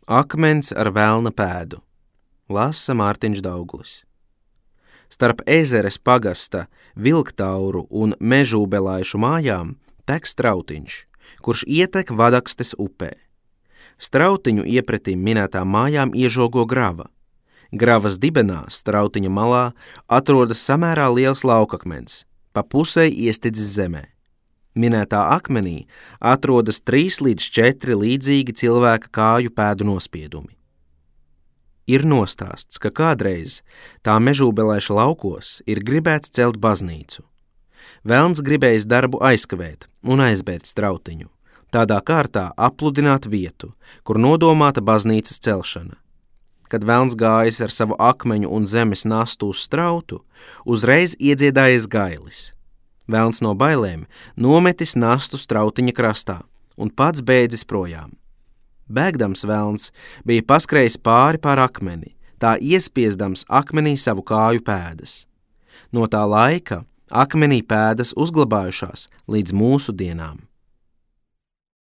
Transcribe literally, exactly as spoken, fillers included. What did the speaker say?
Akmens ar velna pēdu. Lasa Mārtiņš Dauglis. Starp Ezeres pagasta Vilktauru un Mežūbelaišu mājām tek Strautiņš, kurš ietek Vadakstes upē. Strautiņu iepretīm minētām mājām iežogo grava. Gravas dibenā, Strautiņa malā, atrodas samērā liels laukakmens, pa pusei iestidzis zemē. Minētā akmenī atrodas trīs līdz četri līdzīgi cilvēka kāju pēdu nospiedumi. Ir nostāsts, ka kādreiz tā Mežūbelaiša laukos ir gribēts celt baznīcu. Velns gribējis darbu aizkavēt un aizbērt Strautiņu, tādā kārtā apludināt vietu, kur nodomāta baznīcas celšana. Kad velns gājis ar savu akmeņu un zemes nastu uz Strautu, uzreiz iedziedājies gailis. Velns no bailēm nometis nastu Strautiņa krastā un pats bēdzis projām. Bēgdams velns bija paskrējis pāri pār akmeni, tā iespiesdams akmenī savu kāju pēdas. No tā laika akmenī pēdas uzglabājušās līdz mūsu dienām.